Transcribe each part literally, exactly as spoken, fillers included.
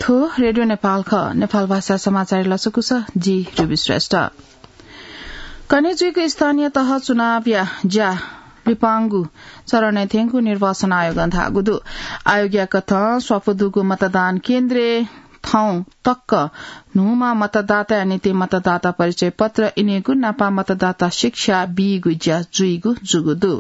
थ्व रेडियो नेपाल खः। नेपाल भाषा समाचार लसकुस, जि रुबी श्रेष्ठ। कन्हय् जुइगु स्थानीय तह चुनावया ज्या लिपांगु चरणय् थ्यंगु निर्वाचन आयोगं धाःगु दु। आयोगया कथं स्वापू दुगु मतदान केन्द्रय् थौं तक न्हूम्ह मतदाताया निंतिं मतदाता परिचय पत्र इनेगु नापं मतदाता शिक्षा बीगु ज्या जुइगु जूगु दु।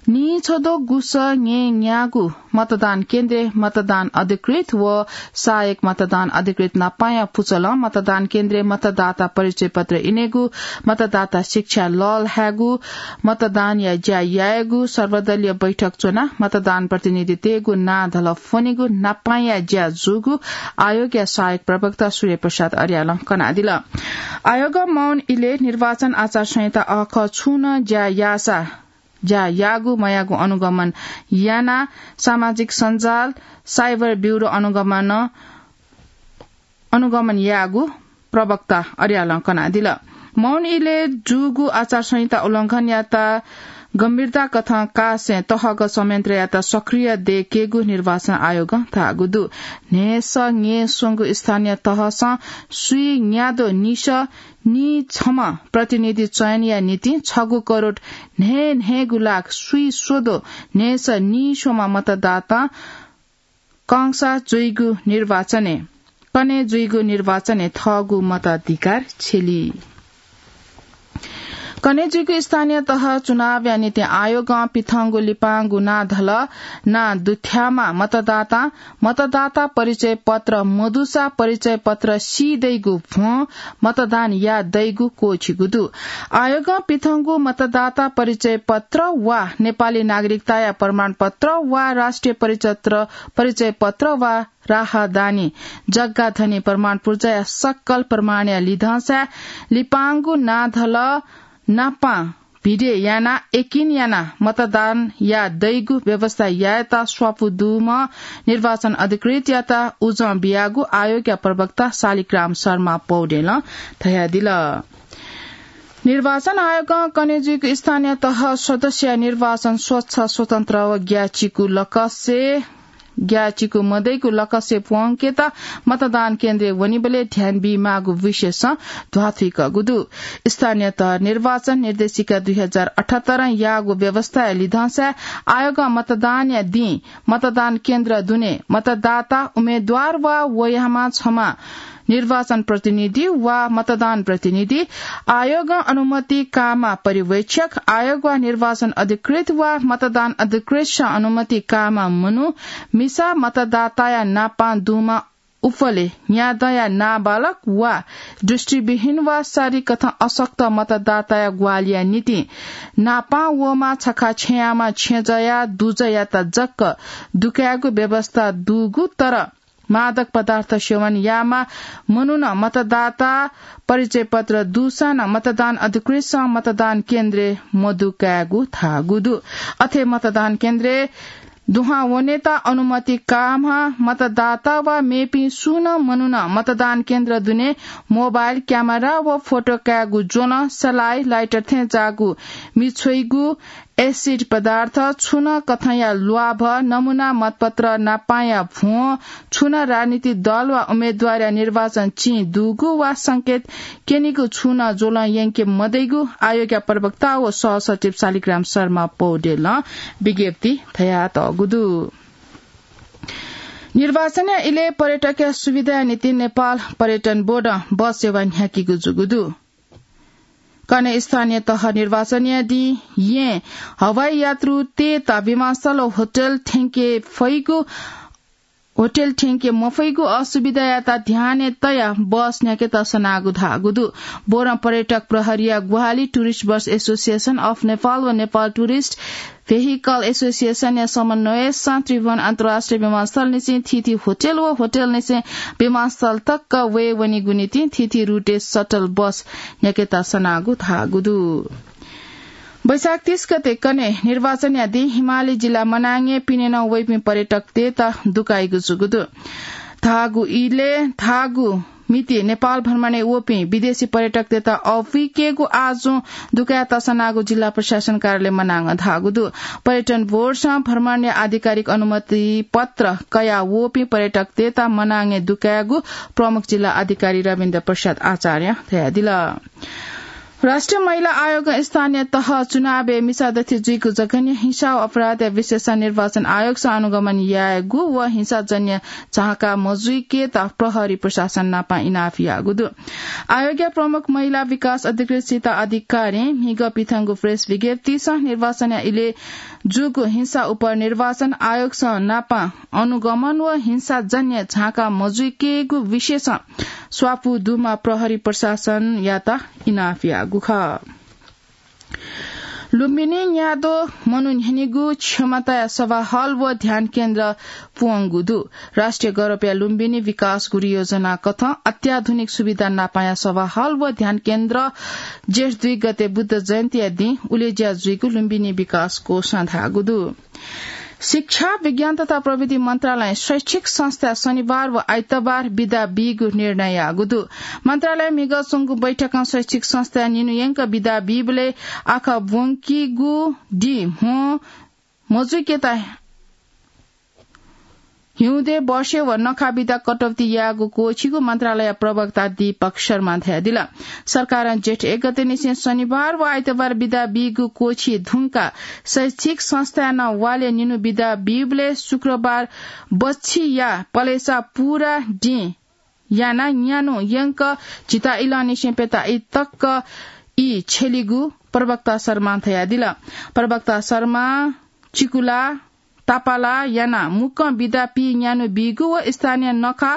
नीछदँ गुसः न्येन्यागू मतदान केन्द्रय् मतदान अधिकृत व सहायक मतदान अधिकृत नापांया पुचलं मतदान केन्द्रय् मतदाता परिचय पत्र इनेगु, मतदाता शिक्षा लःल्हायेगु, मतदानया ज्या यायेगु, सर्वदलीय बैठक च्वनाः मतदान प्रतिनिधि तयेगु, नां धलः फ्वनेगु नापांया ज्या जूगु आयोगया सहायक प्रवक्ता सूर्य प्रसाद अर्यालं कनादिल। आयोगं मौन इलय् निर्वाचन आचार संहिता अःखः छुं नं ज्या याःसा ज्या याःगु मयाःगु अनुगमन यानाः सामाजिक सञ्जाल, साइबर ब्यूरो अनुगमन, अनुगमन याःगु प्रवक्ता अर्यालं कनादिल। मौन इलय् जूगु आचार संहिता उल्लंघनयात गम्भीरता कथं कासें तहगत संयन्त्रयात सक्रिय दयेकेगु निर्वाचन आयोगं धाःगु दु। न्हय्‌सः न्येस्वंगु स्थानीय तहसं स्वीन्यादँ निसः नीछम्ह प्रतिनिधि चयनया निंतिं छगू करोड न्हय्‌न्हय्‌गू लाख स्वीस्वदँ न्हय्‌सः नीस्वम्ह मतदातां कंसा जुइगु निर्वाचनय्, कन्हय् जुइगु निर्वाचनय् थःगु मताधिकार छ्यली। कन्हय् जुइगु स्थानीय तह चुनावया निंतिं आयोगं पिथंगु लिपांगु नां धलः नां दुथ्याःम्ह मतदातां मतदाता परिचय पत्र मदुसा परिचय पत्र सी दइगु भ्वं मतदान याः दइगु क्वःछिगु दु। आयोगं पिथंगु मतदाता परिचय पत्र वा नेपाली नागरिकताया प्रमाणपत्र वा राष्ट्रिय परिचत्र-, परिचय पत्र वा राहदानी जग्गा धनी प्रमाण पुर्जाया सकल प्रमाणया लिधंसाय् लिपांगु नां धलः नापां भिडे यानाः यकिन यानाः मतदान याः दइगु व्यवस्था यायेत स्वापू दुम्ह निर्वाचन अधिकृतयात उजं बियागु आयोगया प्रवक्ता शालिग्राम शर्मा पौडेलं धयादिल। निर्वाचन आयोगं कन्हय् जुइगु स्थानीय तह सदस्यया निर्वाचन स्वच्छ, स्वतन्त्र व ग्याःचिकु लकसे ग्याःचिकु मदइगु लकसे प्वंकेत मतदान केन्द्रय् वनीबलय् ध्यान बीमाःगु विषयसं ध्वाथुइकःगु दु। स्थानीय तह निर्वाचन निर्देशिका दुई हजार अठहत्तरं याःगु व्यवस्थाया लिधंसाय् आयोगं मतदानया दिं मतदान केन्द्र दुने मतदाता, उम्मेद्वार वा वयाम्ह छम्ह निर्वाचन प्रतिनिधि वा मतदान प्रतिनिधि, आयोगं अनुमति काःम्ह पर्यवेक्षक, आयोग वा निर्वाचन अधिकृत वा मतदान अधिकृतसं अनुमति काःम्ह मनू, मिसा मतदाताया नापां दुम्ह उफले न्यादँया नाबालक वा दृष्टिविहीन वा शारीरिक कथं अशक्त मतदाताया ग्वाहालिया निंतिं नापां वःम्ह छखा छ्यंयाम्ह छेँजःया दुजःयात जक दुकायेगु व्यवस्था दुगु, तर मादक पदार्थ सेवन याःम्ह मनुखं मतदाता परिचय पत्र दुसां नं मतदान अधिकृतसं मतदान केन्द्रय् मदुकायेगु धाःगु दु। अथे मतदान केन्द्रय् दुहां वनेत अनुमति काःम्ह मतदाता वा मेपिं सुं नं मनुखं मतदान केन्द्र दुने मोबाइल क्यामेरा व फोटो कायेगु ज्वलं, सलाइ, लाइटर थें जाःगु मिछ्वइगु, एसिड पदार्थ, छुं नं कथंया ल्वाभ, नमुना मतपत्र नापांया भ्वं, छुं नं राजनीतिक दल वा उम्मेद्वारया निर्वाचन चिं दुगु वा संकेत क्यनीगु छुं नं ज्वलं यंके मदइगु आयोगया प्रवक्ता व सहसचिव शालिग्राम शर्मा पौडेलं विज्ञप्ति धयातःगु दु। निर्वाचनया इलय् पर्यटकया सुविधाया निंतिं नेपाल पर्यटन बोर्डं बस सेवा न्ह्याकीगु जूगु दु। कन्हय् स्थानीय तह निर्वाचनया दिं येँ हवाई यात्रुतय्त विमानस्थल व होटल थ्यंके फइगु, होटल थ्यंके मफइगु असुविधायात ध्यानय् तयाः बस न्ह्याकेत सनागु धाःगु दु। बोर्डं पर्यटक प्रहरीया ग्वाहालि, Tourist Bus Association of Nepal व Nepal Tourist Vehicle Association या समन्वयसं त्रिभुवन अन्तर्राष्ट्रिय विमानस्थलनिसें थीथी होटल व होटलनिसें विमानस्थल तक वये वनीगु निंतिं थीथी रुटय् सटल बस न्ह्याकेत सनागु धाःगु दु। वैशाख तीस गते कन्हय् निर्वाचनया दिं हिमाली जिल्ला मनाङय् पिने नं वइपिं पर्यटकतय्त दुकाइगु जूगु दु। धाःगु इलय् धाःगु मिति नेपाल भ्रमणय् वःपिं विदेशी पर्यटकतय्त अःपुइकेगु आजुं दुकाय् तःसानागु जिल्ला प्रशासन कार्यालय मनाङं धाःगु दु। पर्यटन बोर्डसं भ्रमणया आधिकारिक अनुमति पत्र कयाः वःपिं पर्यटकतय्त मनाङय् दुकायेगु प्रमुख जिल्ला अधिकारी रविन्द्र प्रसाद आचार्यं धयादिल। राष्ट्रिय महिला आयोगं स्थानीय तह चुनावय् मिसादथि जुइगु जघन्य हिंसा व अपराधया विषयय् निर्वाचन आयोगसं अनुगमन यायेगु व हिंसाजन्य झाँका मजुइकेत प्रहरी प्रशासन नाप इनाप याःगु दु। आयोगया प्रमुख महिला विकास अधिकृत सीता अधिकारीं म्हिगः पिथंगु प्रेस विज्ञप्तिसं निर्वाचनया इलय् जूगु हिंसा उपर निर्वाचन आयोगसं नाप अनुगमन व हिंसाजन्य झाँका मजुइकेगु विषयय् स्वापू दुमा प्रहरी प्रशासनयात इनाप याःगु खः। लुम्बिनी न्याद्वः मनू न्ह्यनीगु क्षमताया सभा हल व ध्यान केन्द्र पूवंगु दु। राष्ट्रिय गौरवया लुम्बिनी विकास गुरुयोजना कथं अत्याधुनिक सुविधा नापया सभा हल व ध्यान केन्द्र जेठ दुई गते बुद्ध जयन्तीया दिं उलेज्या जुइगु लुम्बिनी विकास कोषं धाःगु दु। शिक्षा, विज्ञान तथा प्रविधि मन्त्रालयं शैक्षिक संस्था शनिबार व आइतबार बिदा बीगु निर्णय याःगु दु। मन्त्रालयं म्हिगः च्वंगु बैठकं शैक्षिक संस्थाय् निन्हु यंक बिदा बीबलय् आखः ब्वंकीगु दिं म्हो मजुइकेत हिउँदे, वर्षे व नखा बिदा कटौती यायेगु क्वःछिगु मन्त्रालय प्रवक्ता दीपक शर्मां धयादिल। सरकारं जेठ एक गतेनिसें शनिबार व आइतबार बिदा बीगु क्वःछी धुंकाः शैक्षिक संस्थाय् नं वालय् निन्हु बिदा बीबलय् शुक्रबार बच्छि या पलेसा पूरा दिं यानाः न्यान्हु यंक झिता इलंनिसें प्यता ई तक ई छ्यलीगु प्रवक्ता शर्मां धयादिल। प्रवक्ता शर्मां चिकुला, तापाला यानाः मुक्कं बिदा पी न्यान्हु बीगु व स्थानीय नखा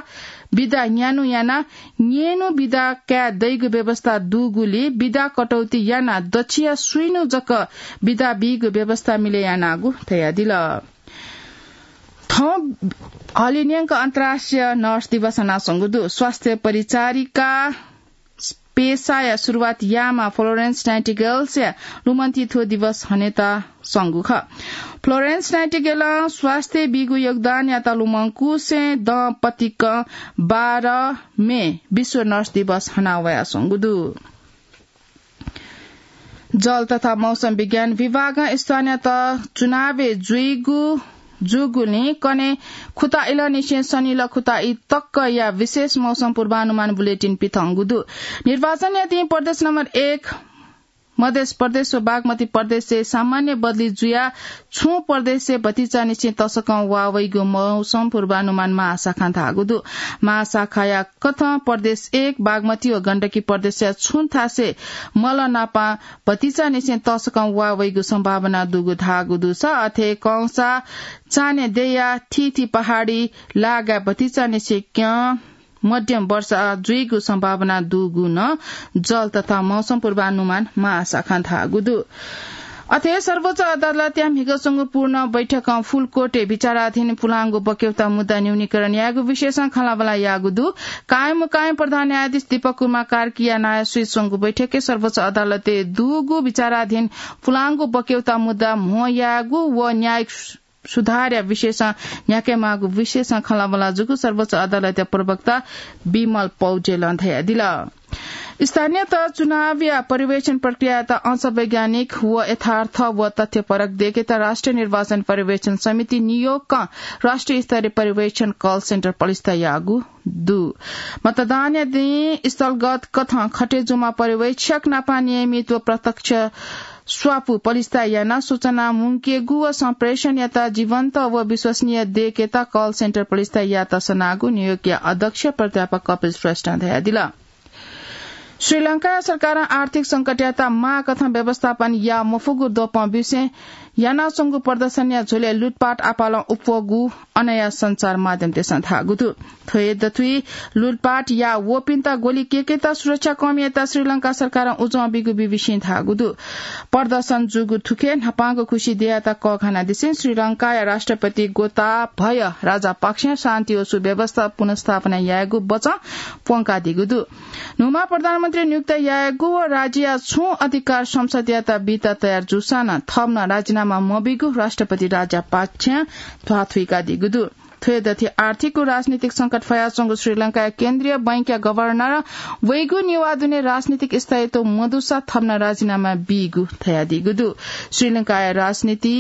बिदा न्यान्हु यानाः न्येन्हु बिदा काये दइगु व्यवस्था दुगुलिं बिदा कटौती यानाः दच्छिया स्वीन्हु जक बिदा बीगु व्यवस्था मिले यानागु धयादिल। थौं हलिंन्यंक अन्तर्राष्ट्रिय नर्स दिवस हनाच्वंगु दु। स्वास्थ्य परिचारिका पेसाया सुरुवात याःम्ह फ्लोरेन्स नाइटिगेलया लुमन्ति थ्व दिवस हनेत संगु खः। फ्लोरेन्स नाइटिगेलं स्वास्थ्य बीगु योगदानयात लुमंकुसें दंपतिकं बाह्र मे विश्व नर्स दिवस हना वयाच्वंगु दु। जल तथा मौसम विज्ञान विभागं स्थानीय तह चुनावय् जुइगु जूगुलिं कन्हय् खुता इलंनिसें सनिल खुता ई तकया विशेष मौसम पूर्वानुमान बुलेटिन पिथंगु दु। निर्वाचनया दिं प्रदेश नम्बर एक मधेस प्रदेश व बागमती प्रदेशय् सामान्य बदली जुयाः छुं प्रदेशय् भतिचानिसें तसकं वा वइगु मौसम पूर्वानुमान महाशाखां धाःगु दु। महाशाखाया कथं प्रदेश एक, बागमती व गण्डकी प्रदेशया छुं थासय् मल नापं भतिचानिसें तसकं वा वइगु सम्भावना दुगु धाःगु दुसा अथे कंसा चान्हय् देया थीथी पहाडी लागाय् भतिचानिसें क्यं मध्यम वर्षा जुइगु सम्भावना दुगु नं जल तथा मौसम पूर्वानुमान महाशाखां धाःगु दु। अथे सर्वोच्च अदालतया म्हिगः च्वंगु पूर्ण बैठकं फुलकोटे विचाराधीन पुलांगु बक्यौता मुद्दा न्यूनीकरण यायेगु विषयसं खँल्हाबल्हा याःगु दु। कायम मुकायम प्रधान न्यायाधीश दीपक कुमार कार्कीया नायःसुइ च्वंगु बैठकय् सर्वोच्च अदालतय् दुगु विचाराधीन पुलांगु बक्यौता मुद्दा म्हो यायेगु व न्यायिक सुधारया विषयसं न्ह्याकेमाःगु विषयसं खँल्हाबल्हा जूगु सर्वोच्च अदालतया प्रवक्ता विमल पौडेलं धयादिल। स्थानीय तह चुनावया पर्यवेक्षण प्रक्रियायात अंश वैज्ञानिक व यथार्थ व तथ्यपरक देकेत राष्ट्रिय निर्वाचन पर्यवेक्षण समिति नियोगकं राष्ट्रिय स्तरीय पर्यवेक्षण कल सेन्टर पलिस्था याःगु दु। मतदानया दिं स्थलगत कथं खटे जूम्ह पर्यवेक्षक नापं नियमित व प्रत्यक्ष स्वापू पलिस्था यानाः सूचना मुंकेगु व सम्प्रेषणयात जीवन्त व विश्वसनीय देकेत कल सेन्टर पलिस्था यात सनागु नियोगया अध्यक्ष प्राध्यापक कपिल श्रेष्ठं धयादिल। श्रीलंका सरकारं आर्थिक संकटयात माःकथं व्यवस्थापन या मफुगु द्वपं बिसें यानाच्वंगु प्रदर्शनया झ्वलय् लुटपाट आपालं उप्वःगु अनया सञ्चार माध्यमतय्सं धाःगु दु। थ्व हे दथुइ लुटपाट या वःपिन्त ग्वलि केकेत सुरक्षा कमीयात श्रीलंका सरकारं उजं बीगु बीबीसीं धाःगु दु। प्रदर्शन जूगु थुखे न्हापांगु खुसि देयात कःघानादिसें श्रीलंकाया राष्ट्रपति गोताभय राजापाक्सें शान्ति व सुव्यवस्था पुनर्स्थापना यायेगु बचं प्वंकादीगु दु। न्हूम्ह प्रधानमन्त्री नियुक्त यायेगु व राज्यया छुं अधिकार संसदयात बीत तयार जूसां नं थःम्हं राजीनामा मबीगु राष्ट्रपति राजापाक्सें ध्वाथुइकादीगु दु। थ्वय् दथि आर्थिक व राजनीतिक संकट फयाच्वंगु श्रीलंकाया केन्द्रीय बैंकया गभर्नर वइगु नेवाः दुने राजनीतिक स्थायित्व मदुसा थप नं राजीनामा बीगु धयादीगु दु। श्रीलंकाया राजनीति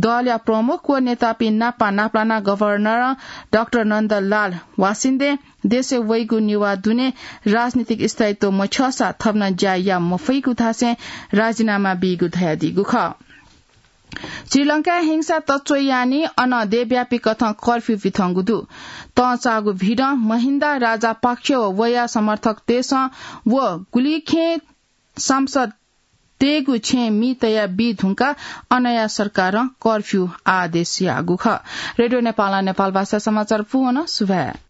दलया प्रमुख व नेतापिं नापा नापलाना गभर्नर डाक्टर नन्दलाल वासिन्दे देशय् वइगु नेवाः दुने राजनीतिक स्थायित्व मछ्यःसा थप नं ज्या या मफइगु धासें राजीनामा बीगु धयादीगु खः। श्रीलंकाय् हिंसा तच्वइ यानि अन देशव्यापी कथं कर्फ्यू पिथंगु दु। तंचाःगु भिडं महिन्दा राजापक्ष व वया समर्थकतय्सं व गुलिखें सांसदतय्गु छेँय् मि तया बी धुंकाः अनया सरकारं कर्फ्यू आदेश याःगु खः। रेडियो नेपालं नेपाल भाषा समाचार पूवन सुभाय्।